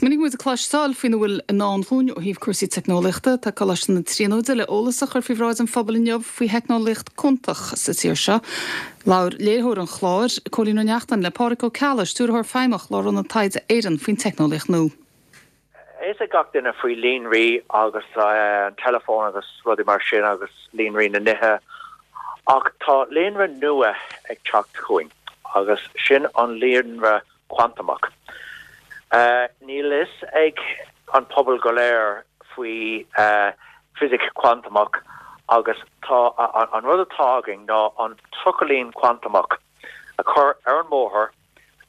minic muid ag cloisteáil faoina bhfuil i ndán dhúinn ó thaobh cúrsaí teicneolaíochta. Tá Coláiste na Tríonóide le eolas a chur faoi bhráid an phobail inniu faoi theicneolaíocht cuantach sa tír seo. Labhair léiritheoir an chláir, Cóilín Ó Neachtain, le Pádraig Ó Ceallaigh, Stiúrthóir Feidhmeach Lárionad Taighde Éireann faoin teicneolaíocht nua. Fhios ag gach duine faoi líonraí agus an teileafón agus rudaí mar sin agus líonraí na nithe ach tá líonra nua ag teacht chugainn agus sin an líonra cuantamach. Níl fhios ag an pobal go léir faoi fisic cuantamach agus tá an rud atá againn ná an trucailín cuantamach a chur ar an mbóthar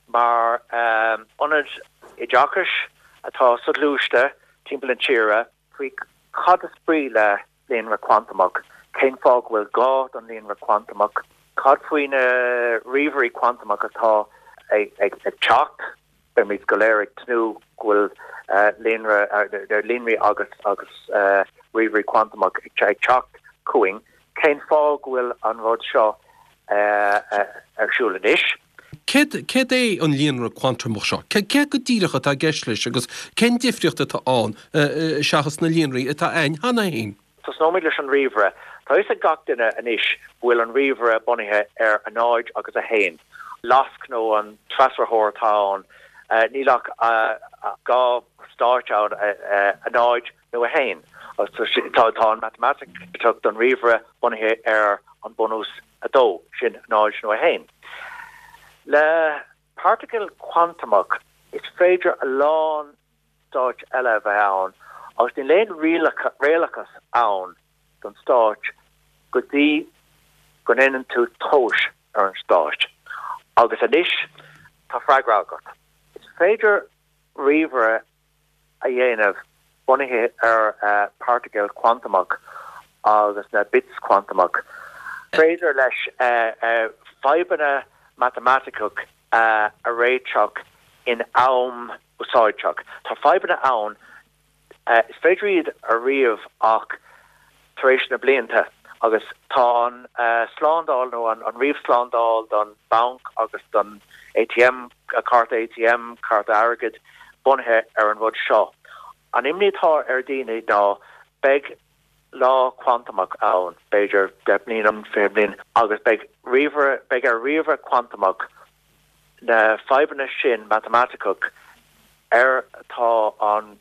mar ionad oideachais atá soghluaiste timpeall na tíre faoi cad is brí le líonra cuantamach, cén fáth go bhfuil gá don líonra cuantamach, cad faoi na ríomhairí cuantamach atá ag teacht, beimid go léir ag tnúth go bhfuil líonra, líonraí agus agus ríomhairí cuantamach ag teacht chugainn, cén fáth go bhfuil an rud seo ar siúl anois. Céard, céard é an líonra cuantamach seo? Céard go díreach atá i gceist leis agus cén difríocht atá ann seachas na líonraí atá a'ainn cheana féin? Tosnóimid leis an ríomhaire. Tá fhios ag gach duine anois go bhfuil an ríomhaire bunaithe ar a náid agus a haon. Lasc nó an trasraitheoir atá ann, níl ach 2 stáit ann, a náid nó a haon. Agus tá an matamaitic don ríomhaire bunaithe ar an bunús 2, sin 0 nó 1. Le páirteagal cuantamach is féidir a lán stáit eile a bheith ann agus níl aon rialachas ann don stáit go dtí go ndéanann tú tomhas ar an stáit. Agus anois tá freagra agat. Is féidir ríomhaire a dhéanamh bunaithe ar páirteagal cuantamach agus na bits cuantamach. Féidir leis fadhbanna matamaiticeach a réiteach in am úsáideach. Tá fadhbanna ann Is féidir iad a ríomh ach tar éis na blianta agus tá an slándáil nó an ríomhshlándáil don banc agus don ATM, cárta ATM, cárta airgid, bunaithe ar an rud seo. An imní atá ar daoine ná beidh lá cuantamach ann, b'fhéidir 10 mbliana, 20 bliain, agus beidh ríomhaire, beidh ar ríomhaire cuantamach na fadhbanna sin matamaiticeach ar atá an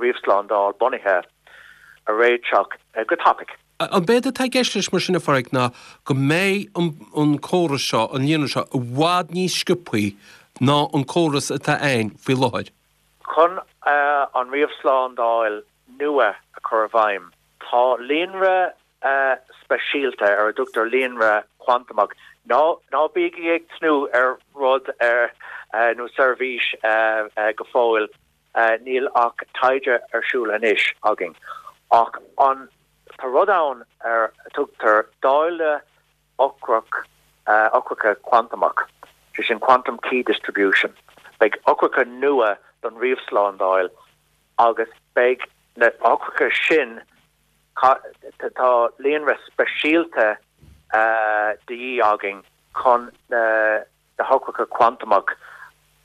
ríomhshlándáil bunaithe a réiteach go tapaidh. An b'éard atá i gceist leis mar sin, a Phádraig, ná go mbeidh an córas seo, an líonra seo, i bhfad níos sciobthaí ná an córas atá a'ainn faoi láthair? Chun an ríomhshlándáil nua a chur i bhfeidhm, tá líonra speisialta ar a dtugtar líonra cuantamach. Ná ná bígí ag tnúth ar rud ar nó seirbhís go fóill, níl ach taighde ar siúl anois againn. Ach an tá rud ann ar a tugtar dáileadh eochrach eochracha cuantamach, sé sin quantum key distribution. Beidh eochracha nua don ríomhshlándáil agus beidh na heochracha sin Tá líonra speisialta de dhíth againn chun na heochracha cuantamach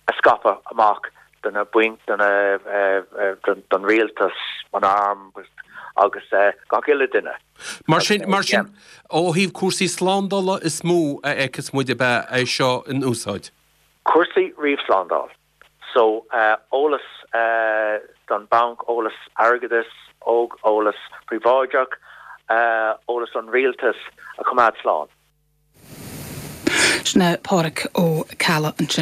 a scaipeadh amach do na bainc, don rialtas, an arm agus gach uile duine. Mar sin, mar sin, ó thaobh cúrsaí slándála is mó a fheicfeas muid ab ea é seo in úsáid? Cúrsaí ríomhshlándáil. So, eolas don banc, eolas airgeadais, eolas príobháideach, eolas don rialtas a choimeád slán. Sin é Pádraig Ó Ceallaigh ansin.